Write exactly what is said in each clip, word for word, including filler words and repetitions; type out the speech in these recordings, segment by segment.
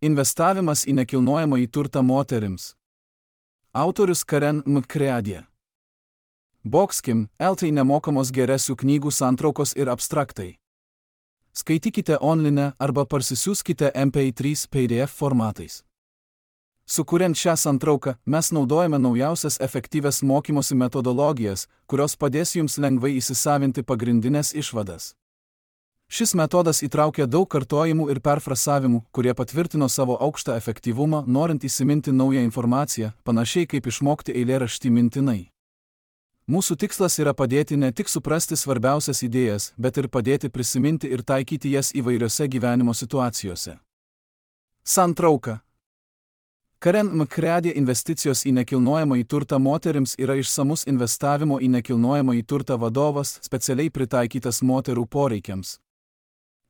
Investavimas į nekilnojamąjį turtą moterims. Autorius Karen McCready. Boxkim, L T nemokamos geresių knygų santraukos ir abstraktai. Skaitykite online arba parsisiųskite M P trys P D F formatais. Sukuriant šią santrauką, mes naudojame naujausias efektyvias mokymosi metodologijas, kurios padės jums lengvai įsisavinti pagrindinės išvadas. Šis metodas įtraukia daug kartojimų ir perfrasavimų, kurie patvirtino savo aukštą efektyvumą, norint įsiminti naują informaciją, panašiai kaip išmokti eilėraštį mintinai. Mūsų tikslas yra padėti ne tik suprasti svarbiausias idėjas, bet ir padėti prisiminti ir taikyti jas įvairiose gyvenimo situacijose. Santrauka. Karen McCready investicijos į nekilnojamąjį turtą moterims yra išsamus investavimo į nekilnojamąjį turtą vadovas, specialiai pritaikytas moterų poreikiams.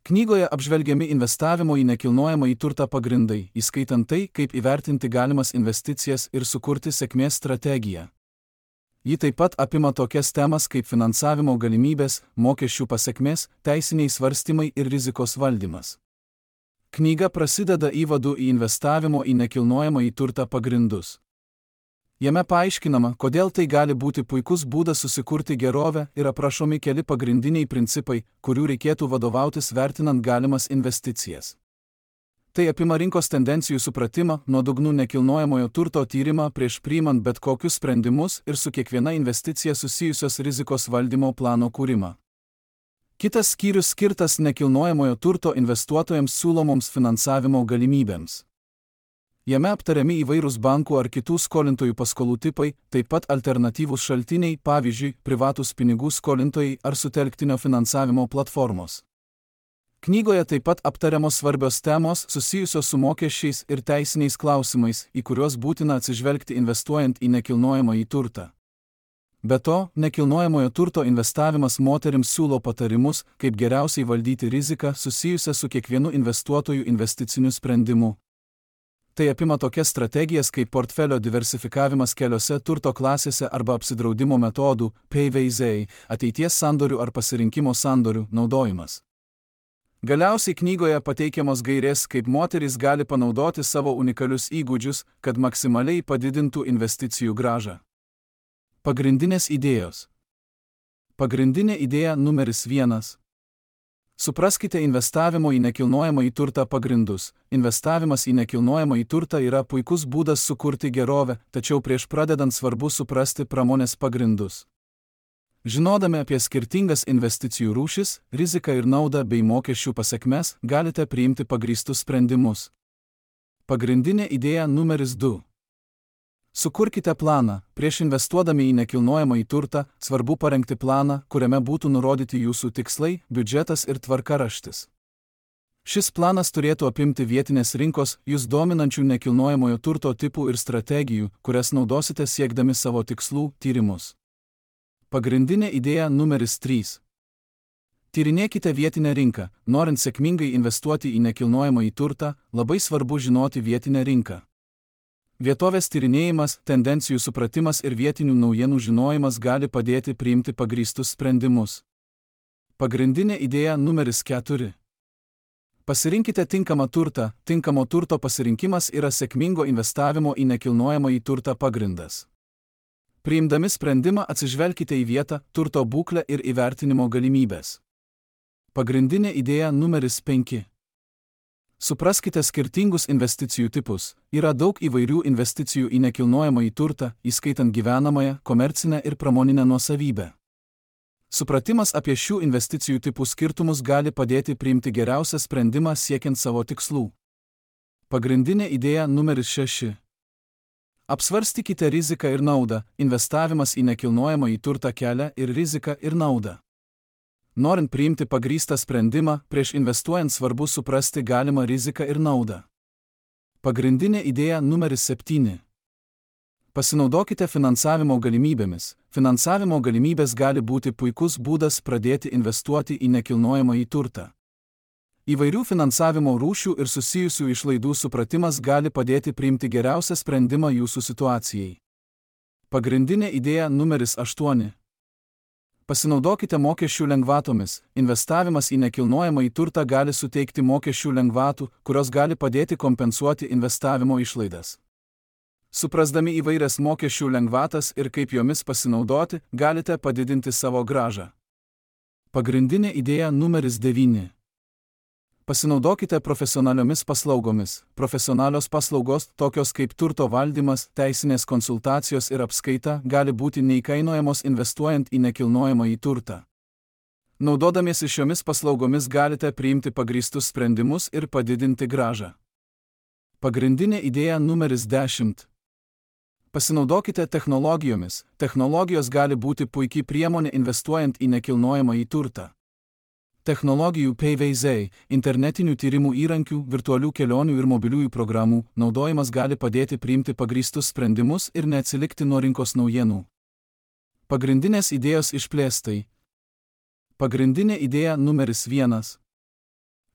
Knygoje apžvelgiami investavimo į nekilnojamąjį turtą pagrindai, įskaitant tai, kaip įvertinti galimas investicijas ir sukurti sėkmės strategiją. Ji taip pat apima tokias temas kaip finansavimo galimybės, mokesčių pasekmės, teisiniai svarstymai ir rizikos valdymas. Knyga prasideda įvadu į investavimo į nekilnojamąjį turtą pagrindus. Jame paaiškinama, kodėl tai gali būti puikus būdas susikurti gerovę ir aprašomi keli pagrindiniai principai, kurių reikėtų vadovautis vertinant galimas investicijas. Tai apima rinkos tendencijų supratimą, nuodugnų nekilnojamojo turto tyrimą prieš priimant bet kokius sprendimus ir su kiekviena investicija susijusios rizikos valdymo plano kūrimą. Kitas skyrius skirtas nekilnojamojo turto investuotojams siūlomoms finansavimo galimybėms. Jame aptariami įvairūs bankų ar kitų skolintojų paskolų tipai, taip pat alternatyvūs šaltiniai, pavyzdžiui, privatūs pinigų skolintojai ar sutelktinio finansavimo platformos. Knygoje taip pat aptariamos svarbios temos susijusios su mokesčiais ir teisiniais klausimais, į kuriuos būtina atsižvelgti investuojant į nekilnojamąjį turtą. Be to, nekilnojamojo turto investavimas moterims siūlo patarimus, kaip geriausiai valdyti riziką susijusią su kiekvienu investuotojų investiciniu sprendimu. Tai apima tokias strategijas kaip portfelio diversifikavimas keliose turto klasėse arba apsidraudimo metodų, P V Z, ateities sandorių ar pasirinkimo sandorių naudojimas. Galiausiai knygoje pateikiamos gairės, kaip moterys gali panaudoti savo unikalius įgūdžius, kad maksimaliai padidintų investicijų grąžą. Pagrindinės idėjos. Pagrindinė idėja numeris vienas. Supraskite investavimo į nekilnojamąjį turtą pagrindus. Investavimas į nekilnojamąjį turtą yra puikus būdas sukurti gerovę, tačiau prieš pradedant svarbu suprasti pramonės pagrindus. Žinodami apie skirtingas investicijų rūšis, riziką ir naudą bei mokesčių pasekmes, galite priimti pagrįstus sprendimus. Pagrindinė idėja numeris du. Sukurkite planą. Prieš investuodami į nekilnojamąjį turtą, svarbu parengti planą, kuriame būtų nurodyti jūsų tikslai, biudžetas ir tvarkaraštis. Šis planas turėtų apimti vietinės rinkos, jūs dominančių nekilnojamojo turto tipų ir strategijų, kurias naudosite siekdami savo tikslų, tyrimus. Pagrindinė idėja numeris trys. Tyrinėkite vietinę rinką. Norint sėkmingai investuoti į nekilnojamąjį turtą, labai svarbu žinoti vietinę rinką. Vietovės tyrinėjimas, tendencijų supratimas ir vietinių naujienų žinojimas gali padėti priimti pagrįstus sprendimus. Pagrindinė idėja numeris keturi. Pasirinkite tinkamą turtą. Tinkamo turto pasirinkimas yra sėkmingo investavimo į nekilnojamąjį turtą pagrindas. Priimdami sprendimą atsižvelkite į vietą, turto būklę ir įvertinimo galimybės. Pagrindinė idėja numeris penki. Supraskite skirtingus investicijų tipus. Yra daug įvairių investicijų į nekilnojamąjį turtą, įskaitant gyvenamąją, komercinę ir pramoninę nuosavybę. Supratimas apie šių investicijų tipų skirtumus gali padėti priimti geriausią sprendimą siekiant savo tikslų. Pagrindinė idėja numeris šeši. Apsvarstykite riziką ir naudą. Investavimas į nekilnojamąjį turtą kelia ir riziką ir naudą. Norint priimti pagrįstą sprendimą, prieš investuojant svarbu suprasti galimą riziką ir naudą. Pagrindinė idėja numeris septyni. Pasinaudokite finansavimo galimybėmis. Finansavimo galimybės gali būti puikus būdas pradėti investuoti į nekilnojamąjį turtą. Įvairių finansavimo rūšių ir susijusių išlaidų supratimas gali padėti priimti geriausią sprendimą jūsų situacijai. Pagrindinė idėja numeris aštuoni. Pasinaudokite mokesčių lengvatomis. Investavimas į nekilnojamą į turtą gali suteikti mokesčių lengvatų, kurios gali padėti kompensuoti investavimo išlaidas. Suprasdami įvairias mokesčių lengvatas ir kaip jomis pasinaudoti, galite padidinti savo grąžą. Pagrindinė idėja numeris devyni. Pasinaudokite profesionaliomis paslaugomis. Profesionalios paslaugos, tokios kaip turto valdymas, teisinės konsultacijos ir apskaita, gali būti neįkainojamos investuojant į nekilnojamą į turtą. Naudodamiesi šiomis paslaugomis galite priimti pagrįstus sprendimus ir padidinti grąžą. Pagrindinė idėja numeris dešimt. Pasinaudokite technologijomis. Technologijos gali būti puikiai priemonė investuojant į nekilnojamą į turtą. Technologijų pavyzdžiai, internetinių tyrimų įrankių, virtualių kelionių ir mobiliųjų programų naudojimas gali padėti priimti pagrįstus sprendimus ir neatsilikti nuo rinkos naujienų. Pagrindinės idėjos išplėstai. Pagrindinė idėja numeris vienas.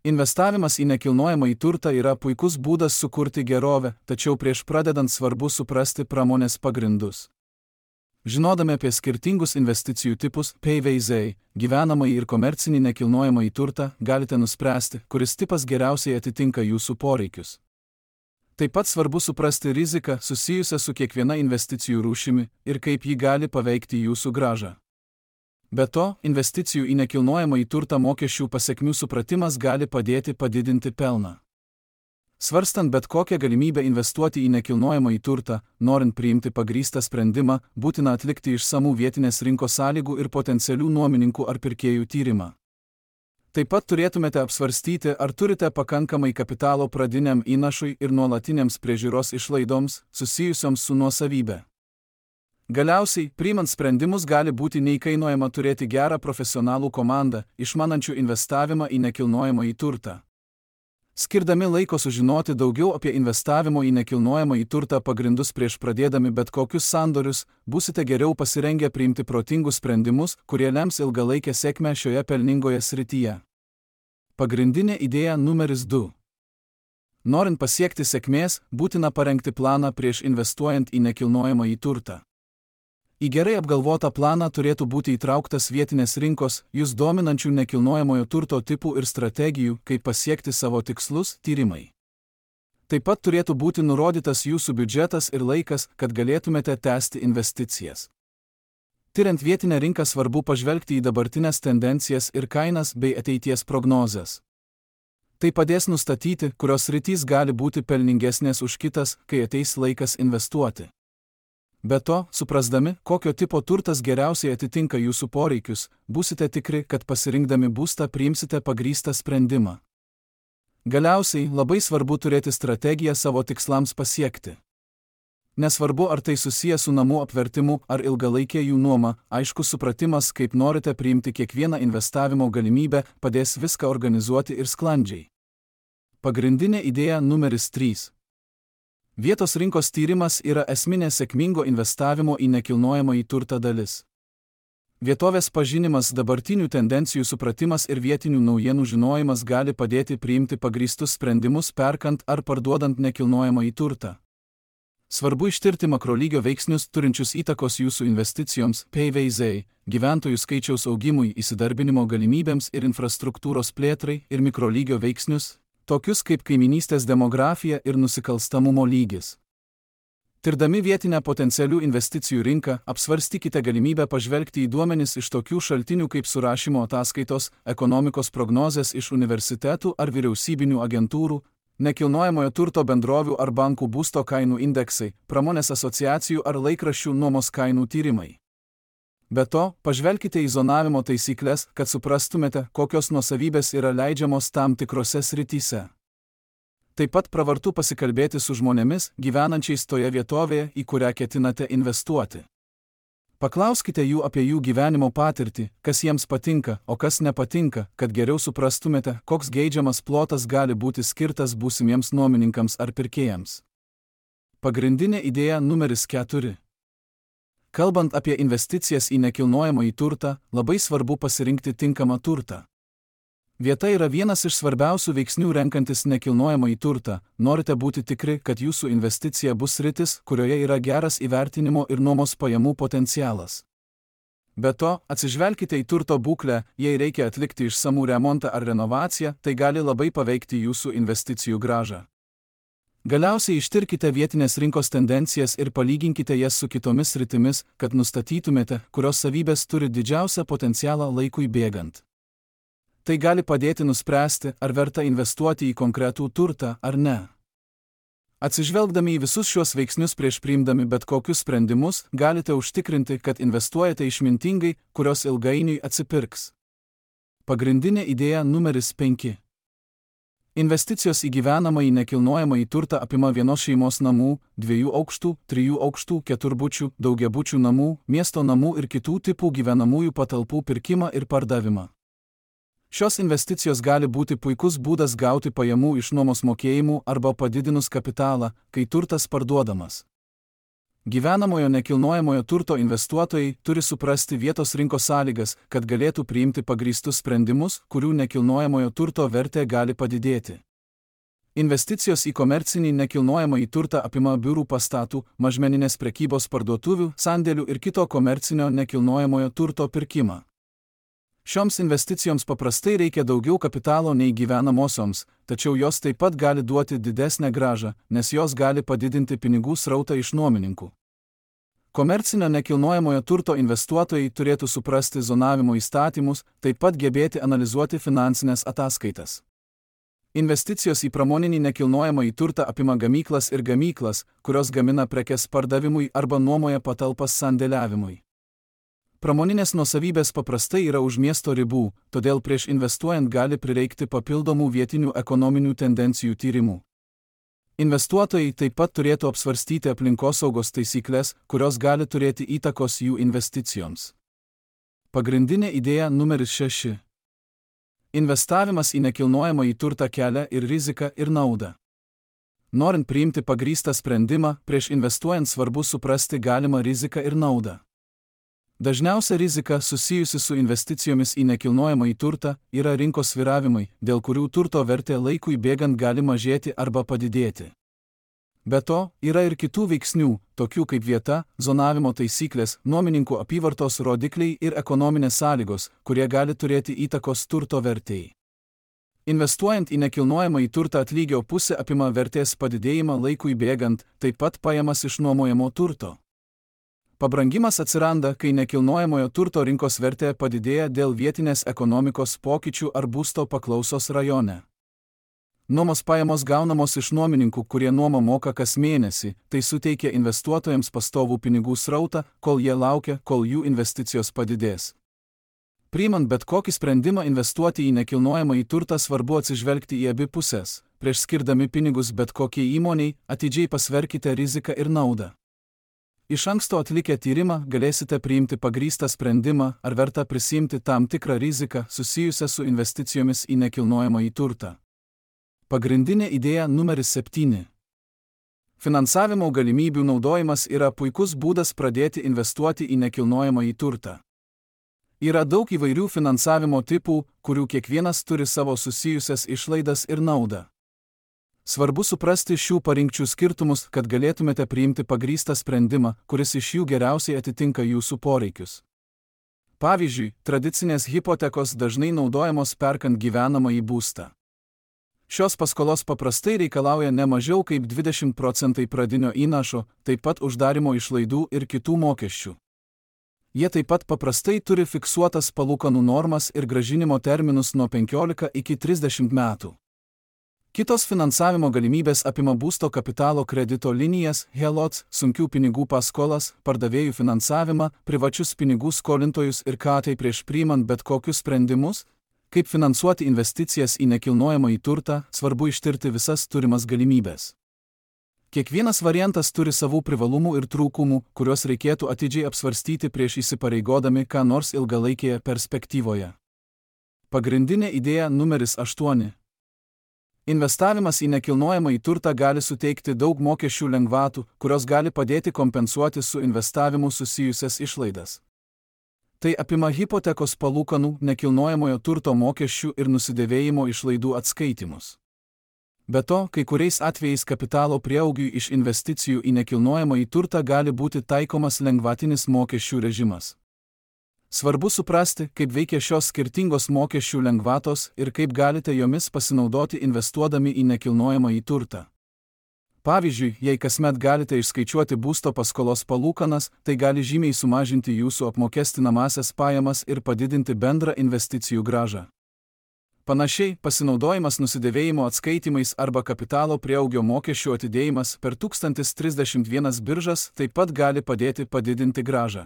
Investavimas į nekilnojamą į turtą yra puikus būdas sukurti gerovę, tačiau prieš pradedant svarbu suprasti pramonės pagrindus. Žinodami apie skirtingus investicijų tipus, pavyzdžiai, gyvenamąjį ir komercinį nekilnojamą į turtą, galite nuspręsti, kuris tipas geriausiai atitinka jūsų poreikius. Taip pat svarbu suprasti riziką susijusią su kiekviena investicijų rūšimi ir kaip ji gali paveikti jūsų grąžą. Be to, investicijų į nekilnojamą į turtą mokesčių pasekmių supratimas gali padėti padidinti pelną. Svarstant bet kokią galimybę investuoti į nekilnojamą į turtą, norint priimti pagrįstą sprendimą, būtina atlikti išsamų vietinės rinkos sąlygų ir potencialių nuomininkų ar pirkėjų tyrimą. Taip pat turėtumėte apsvarstyti, ar turite pakankamai kapitalo pradiniam įnašui ir nuolatinėms priežiūros išlaidoms, susijusioms su nuosavybė. Galiausiai, priimant sprendimus gali būti neįkainojama turėti gerą profesionalų komandą, išmanančių investavimą į nekilnojamą į turtą. Skirdami laiko sužinoti daugiau apie investavimo į nekilnojamą į turtą pagrindus prieš pradėdami bet kokius sandorius, būsite geriau pasirengę priimti protingus sprendimus, kurie lems ilgalaikę sėkmę šioje pelningoje srityje. Pagrindinė idėja numeris du. Norint pasiekti sėkmės, būtina parengti planą prieš investuojant į nekilnojamą į turtą. Į gerai apgalvotą planą turėtų būti įtrauktas vietinės rinkos, jūs dominančių nekilnojamojo turto tipų ir strategijų, kaip pasiekti savo tikslus, tyrimai. Taip pat turėtų būti nurodytas jūsų biudžetas ir laikas, kad galėtumėte tęsti investicijas. Tiriant vietinę rinką svarbu pažvelgti į dabartinės tendencijas ir kainas bei ateities prognozes. Tai padės nustatyti, kurios sritys gali būti pelningesnės už kitas, kai ateis laikas investuoti. Be to, suprasdami, kokio tipo turtas geriausiai atitinka jūsų poreikius, būsite tikri, kad pasirinkdami būstą priimsite pagrįstą sprendimą. Galiausiai, labai svarbu turėti strategiją savo tikslams pasiekti. Nesvarbu, ar tai susiję su namų apvertimu ar ilgalaikė jų nuoma, aiškus supratimas, kaip norite priimti kiekvieną investavimo galimybę, padės viską organizuoti ir sklandžiai. Pagrindinė idėja numeris trys. Vietos rinkos tyrimas yra esminė sėkmingo investavimo į nekilnojamą į turtą dalis. Vietovės pažinimas, dabartinių tendencijų supratimas ir vietinių naujienų žinojimas gali padėti priimti pagrįstus sprendimus perkant ar parduodant nekilnojamą į turtą. Svarbu ištirti makrolygio veiksnius turinčius įtakos jūsų investicijoms, pavyzdžiai, gyventojų skaičiaus augimui, įsidarbinimo galimybėms ir infrastruktūros plėtrai ir mikrolygio veiksnius, tokius kaip kaiminystės demografija ir nusikalstamumo lygis. Tirdami vietinę potencialių investicijų rinką, apsvarstykite galimybę pažvelgti į duomenis iš tokių šaltinių kaip surašymo ataskaitos, ekonomikos prognozės iš universitetų ar vyriausybinių agentūrų, nekilnojamojo turto bendrovių ar bankų būsto kainų indeksai, pramonės asociacijų ar laikraščių nuomos kainų tyrimai. Be to, pažvelkite į zonavimo taisyklės, kad suprastumėte, kokios nuosavybės yra leidžiamos tam tikrose srityse. Taip pat pravartu pasikalbėti su žmonėmis, gyvenančiais toje vietovėje, į kurią ketinate investuoti. Paklauskite jų apie jų gyvenimo patirtį, kas jiems patinka, o kas nepatinka, kad geriau suprastumėte, koks geidžiamas plotas gali būti skirtas būsimiems nuomininkams ar pirkėjams. Pagrindinė idėja numeris keturi. Kalbant apie investicijas į nekilnojamą į turtą, labai svarbu pasirinkti tinkamą turtą. Vieta yra vienas iš svarbiausių veiksnių renkantis nekilnojamą į turtą, norite būti tikri, kad jūsų investicija bus sritis, kurioje yra geras įvertinimo ir nuomos pajamų potencialas. Be to, atsižvelkite į turto būklę, jei reikia atlikti išsamų remontą ar renovaciją, tai gali labai paveikti jūsų investicijų grąžą. Galiausiai ištirkite vietinės rinkos tendencijas ir palyginkite jas su kitomis sritimis, kad nustatytumėte, kurios savybės turi didžiausią potencialą laikui bėgant. Tai gali padėti nuspręsti, ar verta investuoti į konkretų turtą ar ne. Atsižvelgdami į visus šiuos veiksnius prieš priimdami bet kokius sprendimus, galite užtikrinti, kad investuojate išmintingai, kurios ilgainiui atsipirks. Pagrindinė idėja numeris penki. Investicijos į gyvenamąjį nekilnojamąjį turtą apima vienos šeimos namų, dviejų aukštų, trijų aukštų, keturbučių, daugiabučių namų, miesto namų ir kitų tipų gyvenamųjų patalpų pirkimą ir pardavimą. Šios investicijos gali būti puikus būdas gauti pajamų iš nuomos mokėjimų arba padidinus kapitalą, kai turtas parduodamas. Gyvenamojo nekilnojamojo turto investuotojai turi suprasti vietos rinkos sąlygas, kad galėtų priimti pagrįstus sprendimus, kurių nekilnojamojo turto vertė gali padidėti. Investicijos į komercinį nekilnojamąjį turtą apima biurų pastatų, mažmeninės prekybos parduotuvių, sandėlių ir kito komercinio nekilnojamojo turto pirkimą. Šioms investicijoms paprastai reikia daugiau kapitalo nei gyvenamosioms, tačiau jos taip pat gali duoti didesnę grąžą, nes jos gali padidinti pinigų srautą iš nuomininkų. Komercinio nekilnojamojo turto investuotojai turėtų suprasti zonavimo įstatymus, taip pat gebėti analizuoti finansinės ataskaitas. Investicijos į pramoninį nekilnojamąjį turtą apima gamyklas ir gamyklas, kurios gamina prekes pardavimui arba nuomoja patalpas sandėliavimui. Pramoninės nuosavybės paprastai yra už miesto ribų, todėl prieš investuojant gali prireikti papildomų vietinių ekonominių tendencijų tyrimų. Investuotojai taip pat turėtų apsvarstyti aplinkosaugos taisyklės, kurios gali turėti įtakos jų investicijoms. Pagrindinė idėja numeris šeši. Investavimas į nekilnojamąjį turtą kelia ir riziką, ir naudą. Norint priimti pagrįstą sprendimą, prieš investuojant svarbu suprasti galimą riziką ir naudą. Dažniausia rizika susijusi su investicijomis į nekilnojamąjį turtą yra rinkos svyravimai, dėl kurių turto vertė laikui bėgant gali mažėti arba padidėti. Be to, yra ir kitų veiksnių, tokių kaip vieta, zonavimo taisyklės, nuomininkų apyvartos rodikliai ir ekonominės sąlygos, kurie gali turėti įtakos turto vertei. Investuojant į nekilnojamąjį turtą atlygio pusė apima vertės padidėjimą laikui bėgant, taip pat pajamas iš nuomojamo turto. Pabrangimas atsiranda, kai nekilnojamojo turto rinkos vertė padidėja dėl vietinės ekonomikos pokyčių ar būsto paklausos rajone. Nuomos pajamos gaunamos iš nuomininkų, kurie nuomą moka kas mėnesį, tai suteikia investuotojams pastovų pinigų srautą, kol jie laukia, kol jų investicijos padidės. Priimant bet kokį sprendimą investuoti į nekilnojamąjį turtą svarbu atsižvelgti į abi pusės. Prieš skirdami pinigus bet kokiai įmoniai, atidžiai pasverkite riziką ir naudą. Iš anksto atlikę tyrimą galėsite priimti pagrįstą sprendimą, ar verta prisiimti tam tikrą riziką susijusią su investicijomis į nekilnojamąjį turtą. Pagrindinė idėja numeris septyni. Finansavimo galimybių naudojimas yra puikus būdas pradėti investuoti į nekilnojamąjį turtą. Yra daug įvairių finansavimo tipų, kurių kiekvienas turi savo susijusias išlaidas ir naudą. Svarbu suprasti šių parinkčių skirtumus, kad galėtumėte priimti pagrįstą sprendimą, kuris iš jų geriausiai atitinka jūsų poreikius. Pavyzdžiui, tradicinės hipotekos dažnai naudojamos perkant gyvenamąjį būstą. Šios paskolos paprastai reikalauja ne mažiau kaip dvidešimt procentų pradinio įnašo, taip pat uždarimo išlaidų ir kitų mokesčių. Jie taip pat paprastai turi fiksuotas palūkanų normas ir grąžinimo terminus nuo penkiolika iki trisdešimt metų. Kitos finansavimo galimybės apima būsto kapitalo kredito linijas, helots, sunkių pinigų paskolas, pardavėjų finansavimą, privačius pinigų skolintojus ir ką tai prieš priimant bet kokius sprendimus, kaip finansuoti investicijas į nekilnojamąjį turtą, svarbu ištirti visas turimas galimybės. Kiekvienas variantas turi savų privalumų ir trūkumų, kuriuos reikėtų atidžiai apsvarstyti prieš įsipareigodami ką nors ilgalaikėje perspektyvoje. Pagrindinė idėja numeris aštuoni. Investavimas į nekilnojamąjį turtą gali suteikti daug mokesčių lengvatų, kurios gali padėti kompensuoti su investavimu susijusias išlaidas. Tai apima hipotekos palūkanų, nekilnojamojo turto mokesčių ir nusidėvėjimo išlaidų atskaitimus. Be to, kai kuriais atvejais kapitalo prieaugiui iš investicijų į nekilnojamąjį turtą gali būti taikomas lengvatinis mokesčių režimas. Svarbu suprasti, kaip veikia šios skirtingos mokesčių lengvatos ir kaip galite jomis pasinaudoti investuodami į nekilnojamąjį turtą. Pavyzdžiui, jei kasmet galite išskaičiuoti būsto paskolos palūkanas, tai gali žymiai sumažinti jūsų apmokestinamąsias pajamas ir padidinti bendrą investicijų grąžą. Panašiai, pasinaudojimas nusidėvėjimo atskaitimais arba kapitalo prieaugio mokesčių atidėjimas per tūkstantis trisdešimt vienas biržas taip pat gali padėti padidinti grąžą.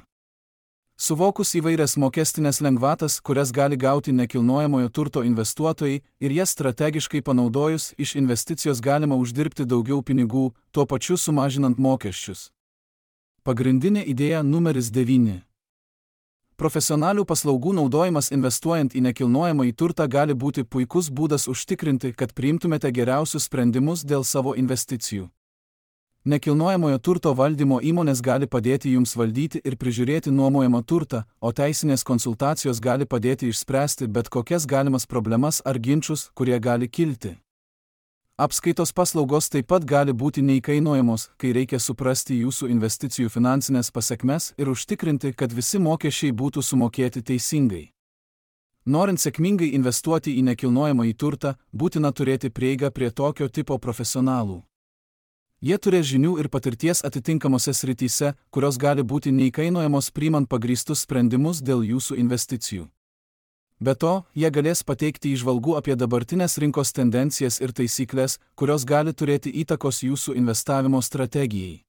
Suvokus įvairias mokestinės lengvatas, kurias gali gauti nekilnojamojo turto investuotojai ir jas strategiškai panaudojus, iš investicijos galima uždirbti daugiau pinigų, tuo pačiu sumažinant mokesčius. Pagrindinė idėja numeris devyni. Profesionalių paslaugų naudojimas investuojant į nekilnojamąjį turtą gali būti puikus būdas užtikrinti, kad priimtumėte geriausius sprendimus dėl savo investicijų. Nekilnojamojo turto valdymo įmonės gali padėti jums valdyti ir prižiūrėti nuomojamą turtą, o teisinės konsultacijos gali padėti išspręsti bet kokias galimas problemas ar ginčus, kurie gali kilti. Apskaitos paslaugos taip pat gali būti neįkainojamos, kai reikia suprasti jūsų investicijų finansinės pasekmes ir užtikrinti, kad visi mokesčiai būtų sumokėti teisingai. Norint sėkmingai investuoti į nekilnojamąjį turtą, būtina turėti prieigą prie tokio tipo profesionalų. Jie turės žinių ir patirties atitinkamose srityse, kurios gali būti neįkainojamos priimant pagrįstus sprendimus dėl jūsų investicijų. Be to, jie galės pateikti įžvalgų apie dabartinės rinkos tendencijas ir taisyklės, kurios gali turėti įtakos jūsų investavimo strategijai.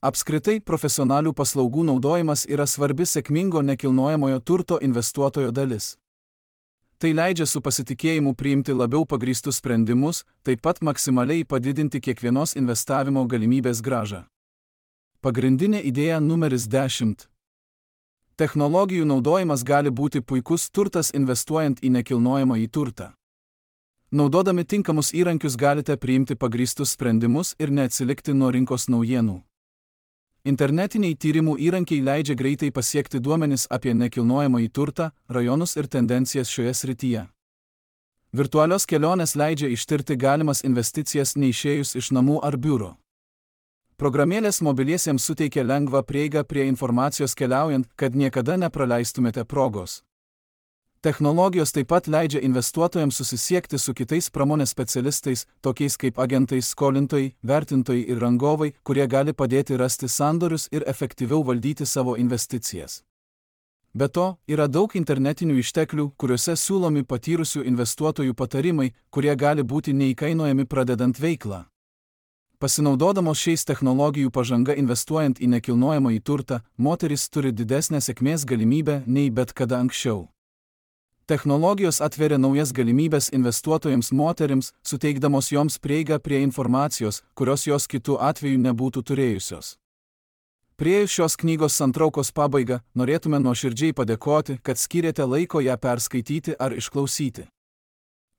Apskritai, profesionalių paslaugų naudojimas yra svarbi sėkmingo nekilnojamojo turto investuotojo dalis. Tai leidžia su pasitikėjimu priimti labiau pagrįstus sprendimus, taip pat maksimaliai padidinti kiekvienos investavimo galimybės grąžą. Pagrindinė idėja numeris dešimt. Technologijų naudojimas gali būti puikus turtas investuojant į nekilnojamąjį turtą. Naudodami tinkamus įrankius galite priimti pagrįstus sprendimus ir neatsilikti nuo rinkos naujienų. Internetiniai tyrimų įrankiai leidžia greitai pasiekti duomenis apie nekilnojamąjį turtą, rajonus ir tendencijas šioje srityje. Virtualios kelionės leidžia ištirti galimas investicijas neišėjus iš namų ar biuro. Programėlės mobiliesiems suteikia lengvą prieigą prie informacijos keliaujant, kad niekada nepraleistumėte progos. Technologijos taip pat leidžia investuotojams susisiekti su kitais pramonės specialistais, tokiais kaip agentai, skolintojai, vertintojai ir rangovai, kurie gali padėti rasti sandorius ir efektyviau valdyti savo investicijas. Be to, yra daug internetinių išteklių, kuriuose siūlomi patyrusių investuotojų patarimai, kurie gali būti neįkainojami pradedant veiklą. Pasinaudodamos šiais technologijų pažanga investuojant į nekilnojamąjį turtą, moterys turi didesnę sėkmės galimybę nei bet kada anksčiau. Technologijos atveria naujas galimybės investuotojams moterims, suteikdamos joms prieigą prie informacijos, kurios jos kitų atveju nebūtų turėjusios. Priėjus šios knygos santraukos pabaigą, norėtume nuoširdžiai padėkoti, kad skyrėte laiko ją perskaityti ar išklausyti.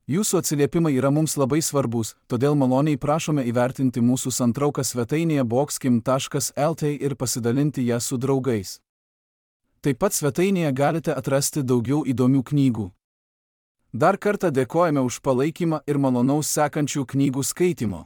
Jūsų atsiliepimai yra mums labai svarbus, todėl maloniai prašome įvertinti mūsų santrauką svetainėje boxkim taškas lt ir pasidalinti ją su draugais. Taip pat svetainėje galite atrasti daugiau įdomių knygų. Dar kartą dėkojame už palaikymą ir malonaus sekančių knygų skaitimo.